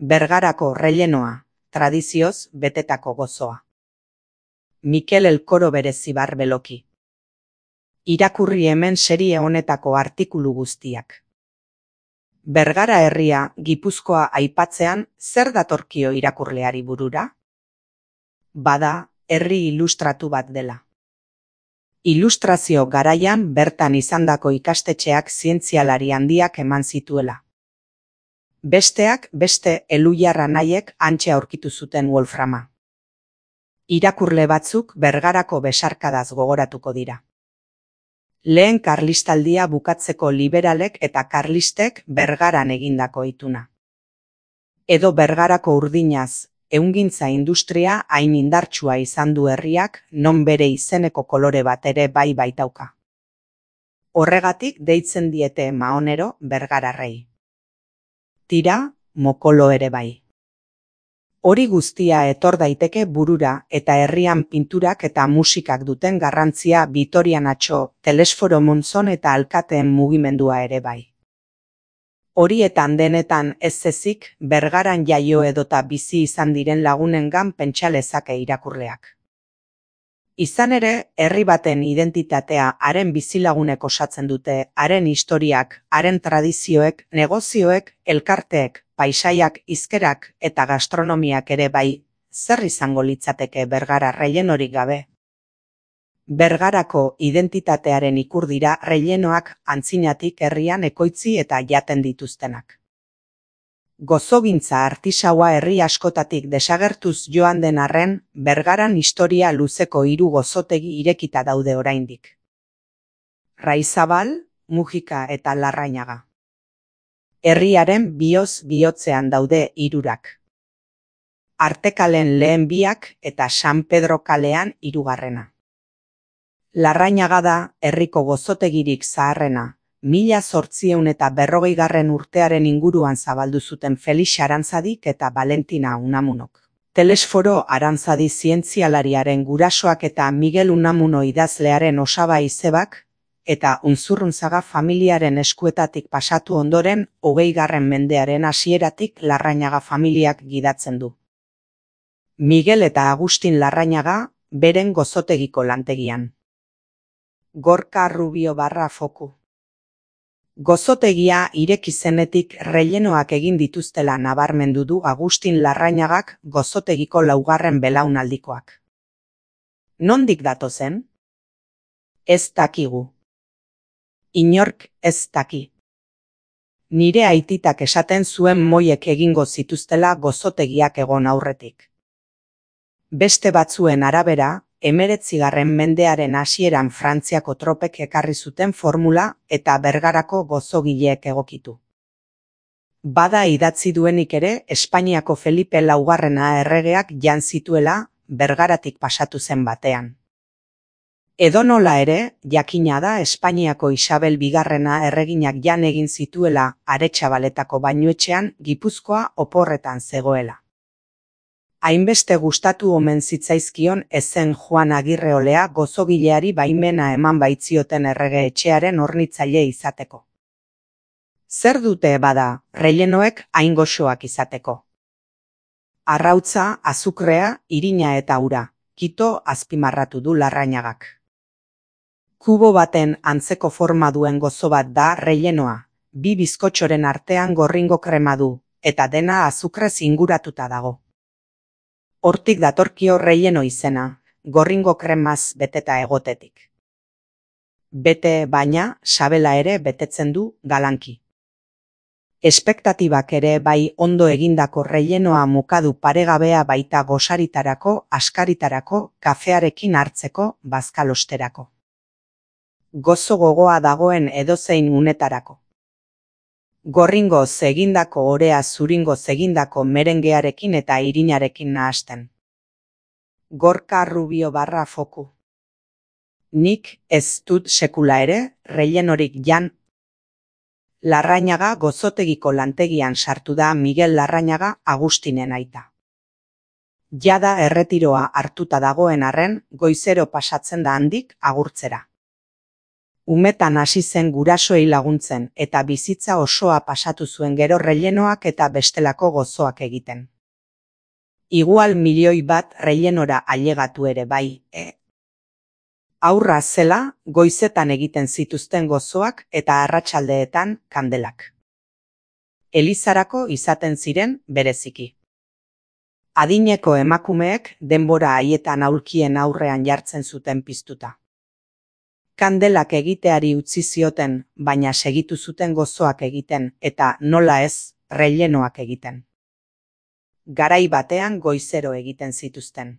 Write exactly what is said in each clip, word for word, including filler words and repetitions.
Bergarako rellenoa, tradizioz betetako gozoa. Mikel Elkoro Berezibar Beloki. Irakurri hemen serie honetako artikulu guztiak. Bergara herria Gipuzkoa aipatzean zer datorkio irakurleari burura? Bada, herri ilustratu bat dela. Ilustrazio garaian bertan izandako ikastetxeak zientzialari handiak eman zituela. Besteak beste Elujarra nahiek hantxe aurkitu zuten Wolframa. Irakurle batzuk Bergarako besarkadaz gogoratuko dira. Lehen karlistaldia bukatzeko liberalek eta karlistek Bergaran egindako ituna. Edo Bergarako urdinaz, ehungintza industria hain indartsua izan du herriak non bere izeneko kolore bat ere bai baitauka. Horregatik deitzen diete Maonero Bergararrei. Tira, mokolo ere bai. Hori guztia etor daiteke burura eta herrian pinturak eta musikak duten garrantzia Bitorian Atxo, Telesforo Monzon eta alkateen mugimendua ere bai. Horietan denetan ez ezik Bergaran jaio edota bizi izan diren lagunengan pentsa lezake irakurleak. Izan ere, herri baten identitatea haren bizilagunek osatzen dute, haren historiak, haren tradizioek, negozioek, elkarteek, paisaiak, hizkerak eta gastronomiak ere bai, zer izango litzateke Bergara rellenorik gabe? Bergarako identitatearen ikur dira rellenoak antzinatik herrian ekoitzi eta jaten dituztenak. Gozogintza artisaua herri askotatik desagertuz joan den arren, Bergaran historia luzeko hiru gozotegi irekita daude oraindik. Raizabal, Mujika eta Larrañaga. Herriaren bioz bihotzean daude hirurak. Artekalen lehen biak eta San Pedro kalean hirugarrena. Larrañaga da herriko gozotegirik zaharrena. Mila zortziehun eta berrogeigarren urtearen inguruan zabaldu zuten Felix Arantzadik eta Valentina Unamunok. Telesforo Arantzadi zientzialariaren gurasoak eta Miguel Unamuno idazlearen osaba izebak, eta Unzurrunzaga familiaren eskuetatik pasatu ondoren hogeigarren mendearen hasieratik Larrañaga familiak gidatzen du. Miguel eta Agustin Larrañaga beren gozotegiko lantegian. Gorka Rubio barra foku. Gozotegia ireki zenetik rellenoak egin dituztela nabarmendu du Agustin Larrañagak gozotegiko laugarren belaunaldikoak. Nondik datozen? Ez dakigu. Inork ez daki. Nire aititak esaten zuen moiek egingo zituztela gozotegiak egon aurretik. Beste batzuen arabera, hemeretzigarren mendearen hasieran Frantziako tropek ekarri zuten formula eta Bergarako gozogileek egokitu. Bada idatzi duenik ere Espainiako Felipe laugarrena erregeak jan zituela Bergaratik pasatu zen batean. Edonola ere, jakina da Espainiako Isabel bigarrena erreginak jan egin zituela Aretxabaletako bainuetxean Gipuzkoa oporretan zegoela. Hainbeste gustatu omen zitzaizkion ezen Juan Agirreolea gozogileari baimena eman baitzioten errege etxearen hornitzaile izateko. Zer dute bada, rellenoek hain goxoak izateko? Arrautza, azukrea, irina eta ura, kito azpimarratu du Larrañagak. Kubo baten antzeko forma duen gozo bat da rellenoa, bi bizkotxoren artean gorringo krema du, eta dena azukrez inguratuta dago. Hortik datorkio relleno izena, gorringo kremaz beteta egotetik. Bete baina, sabela ere betetzen du galanki. Espektatibak ere bai ondo egindako rellenoa mukadu paregabea baita gosaritarako, askaritarako, kafearekin hartzeko, bazkalosterako. Gozo gogoa dagoen edozein unetarako. Gorringoz egindako orea zuringoz egindako merengearekin eta irinarekin nahasten. Gorka Rubio barra foku. Nik ez dut sekula ere, rellenorik jan. Larrañaga gozotegiko lantegian sartu da Miguel Larrañaga Agustinen aita. Jada erretiroa hartuta dagoen arren, goizero pasatzen da handik agurtzera. Umetan hasi zen gurasoei laguntzen eta bizitza osoa pasatu zuen gero rellenoak eta bestelako gozoak egiten. Igual milioi bat rellenora ailegatu ere bai, e? Aurra zela, goizetan egiten zituzten gozoak eta arratsaldeetan kandelak. Elizarako izaten ziren bereziki. Adineko emakumeek denbora haietan aulkien aurrean jartzen zuten piztuta. Kandelak egiteari utzi zioten, baina segitu zuten gozoak egiten eta nola ez, rellenoak egiten. Garai batean goizero egiten zituzten.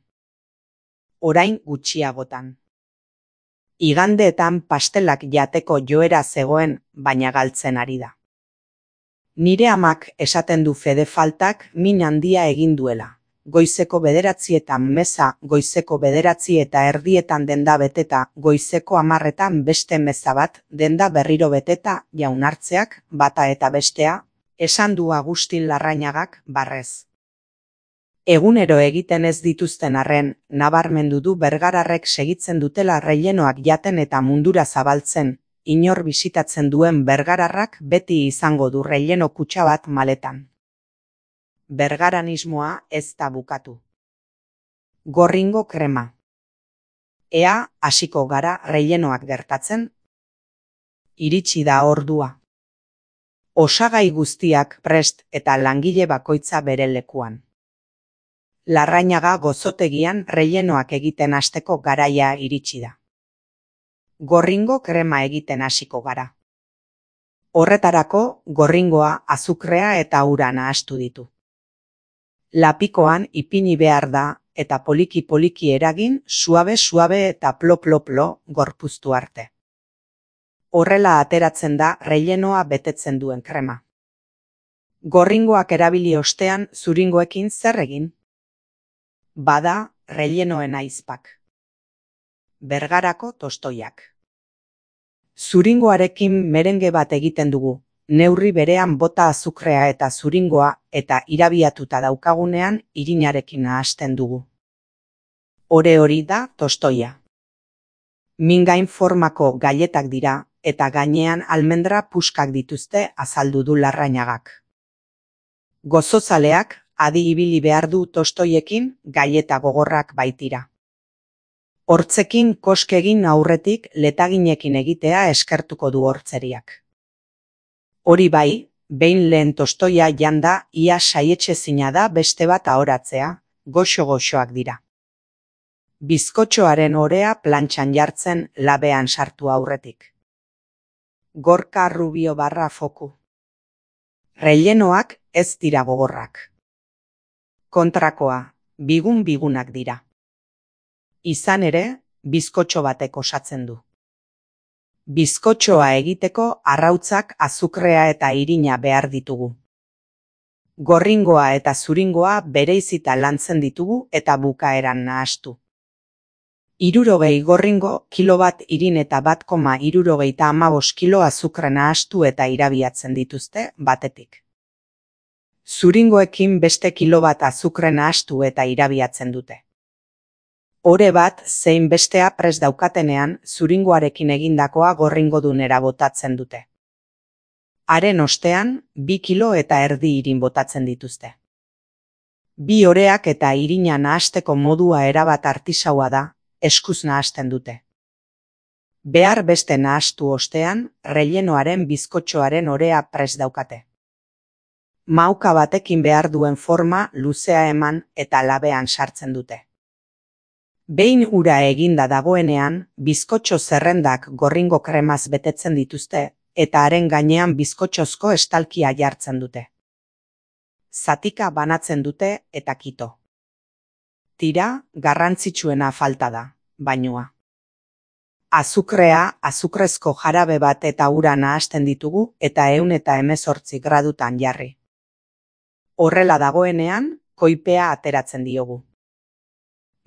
Orain gutxiagotan. Igandeetan pastelak jateko joera zegoen, baina galtzen ari da. Nire amak esaten du fede faltak min handia egin duela. Goizeko bederatzietan meza, goizeko bederatzi eta erdietan denda beteta, goizeko hamarretan beste meza bat, denda berriro beteta, jaunartzeak, bata eta bestea, esan du Agustin Larrañagak barrez. Egunero egiten ez dituzten arren, nabarmendu du bergararrek segitzen dutela rellenoak jaten eta mundura zabaltzen, inor bisitatzen duen bergararrak beti izango du relleno kutxa bat maletan. Bergaranismoa ez da bukatu. Gorringo krema. Ea hasiko gara rellenoak gertatzen? Iritsi da ordua. Osagai guztiak prest eta langile bakoitza bere lekuan. Larrañaga gozotegian rellenoak egiten hasteko garaia iritsi da. Gorringo krema egiten hasiko gara. Horretarako gorringoa, azukrea eta ura nahastu ditu. Lapikoan ipini behar da eta poliki-poliki eragin, suabe-suabe eta plo-plo-plo gorpuztu arte. Horrela ateratzen da rellenoa betetzen duen krema. Gorringoak erabili ostean zuringoekin zer egin? Bada, rellenoen aizpak. Bergarako tostoiak. Zuringoarekin merenge bat egiten dugu, neurri berean bota azukrea eta zuringoa eta irabiatuta daukagunean irinarekin nahasten dugu. Ore hori da tostoia. Mingain formako gailetak dira eta gainean almendra puskak dituzte azaldu du Larrañagak. Gozozaleak adi ibili behar du tostoiekin gaileta gogorrak baitira. Hortzekin koskegin aurretik letaginekin egitea eskertuko du hortzeriak. Hori bai, behin lehen tostoia janda ia saietxezina da beste bat ahoratzea, goxo-goxoak dira. Bizkotxoaren orea plantxan jartzen labean sartu aurretik. Gorka Rubio barra foku. Rellenoak ez dira gogorrak. Kontrakoa, bigun-bigunak dira. Izan ere, bizkotxo batek osatzen du. Bizkotxoa egiteko arrautzak, azukrea eta irina behar ditugu. Gorringoa eta zuringoa bereizita lantzen ditugu eta bukaeran nahastu. Hirurogei gorringo, kilo bat irin eta bat koma hirurogeita hamabost kilo azukre nahastu eta irabiatzen dituzte batetik. Zuringoekin beste kilo bat azukre nahastu eta irabiatzen dute. Ore bat zein bestea prest daukatenean zuringoarekin egindakoa gorringodunera botatzen dute. Haren ostean, bi kilo eta erdi irin botatzen dituzte. Bi oreak eta irina nahasteko modua erabat artisaua da, eskuz nahasten dute. Behar beste nahastu ostean, rellenoaren bizkotxoaren orea prest daukate. Mauka batekin behar duen forma luzea eman eta labean sartzen dute. Behin ura eginda dagoenean, bizkotxo zerrendak gorringo kremaz betetzen dituzte eta haren gainean bizkotxozko estalkia jartzen dute. Zatika banatzen dute eta kito. Tira, garrantzitsuena falta da, bainua. Azukrea, azukrezko jarabe bat eta ura nahasten ditugu eta ehun eta hemezortzi gradutan jarri. Horrela dagoenean, koipea ateratzen diogu.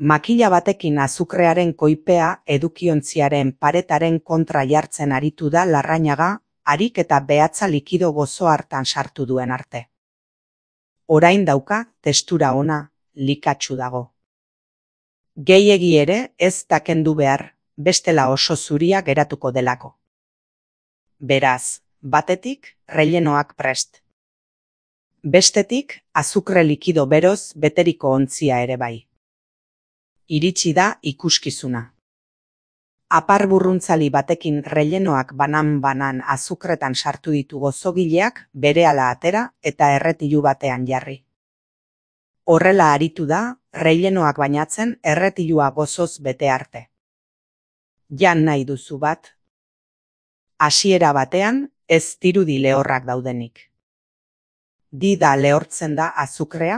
Makila batekin azukrearen koipea edukiontziaren paretaren kontra jartzen aritu da Larrañaga, harik eta behatza likido gozo hartan sartu duen arte. Orain dauka, testura ona, likatsu dago. Gehiegi ere ez da kendu behar, bestela oso zuria geratuko delako. Beraz, batetik, rellenoak prest. Bestetik, azukre likido beroz beteriko ontzia ere bai. Iritsi da ikuskizuna. Apar burruntzali batekin rellenoak banan-banan azukretan sartu ditu gozogileak berehala atera eta erretilu batean jarri. Horrela aritu da, rellenoak bainatzen erretilua gozoz bete arte. Jan nahi duzu bat? Hasiera batean, ez dirudi lehorrak daudenik. Dida lehortzen da azukrea,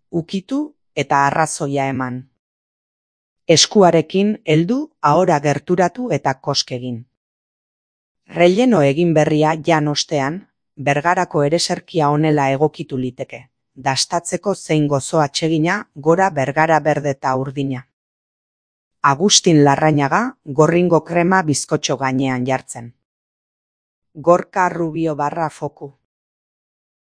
ukitu eta arrazoia eman. Eskuarekin heldu, ahora gerturatu eta koskegin. Relleno egin berria jan ostean, bergarako ereserkia honela egokitu liteke, dastatzeko zein gozo atsegina gora bergara berde eta urdina. Agustin Larrañaga, gorringo krema bizkotxo gainean jartzen. Gorka Rubio barra foku.